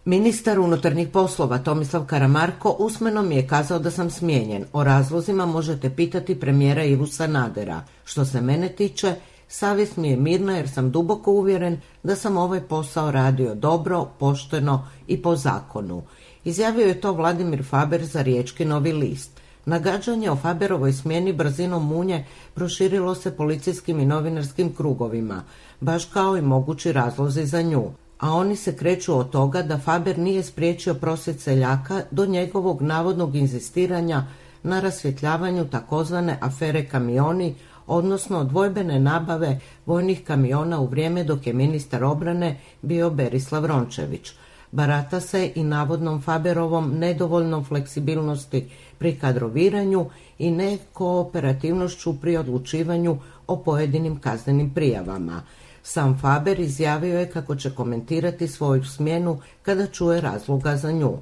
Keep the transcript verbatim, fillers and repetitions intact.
Ministar unutarnjih poslova Tomislav Karamarko usmeno mi je kazao da sam smijenjen. O razlozima možete pitati premijera Ivu Sanadera. Što se mene tiče, savjest mi je mirna jer sam duboko uvjeren da sam ovaj posao radio dobro, pošteno i po zakonu. Izjavio je to Vladimir Faber za Riječki Novi list. Nagađanje o Faberovoj smjeni brzinom munje proširilo se policijskim i novinarskim krugovima, baš kao i mogući razlozi za nju. A oni se kreću od toga da Faber nije spriječio prosvjed seljaka do njegovog navodnog inzistiranja na rasvjetljavanju takozvane afere kamioni, odnosno dvojbene nabave vojnih kamiona u vrijeme dok je ministar obrane bio Berislav Rončević. Barata se i navodnom Faberovom nedovoljnom fleksibilnosti pri kadroviranju i nekooperativnošću pri odlučivanju o pojedinim kaznenim prijavama. Sam Faber izjavio je kako će komentirati svoju smjenu kada čuje razloga za nju.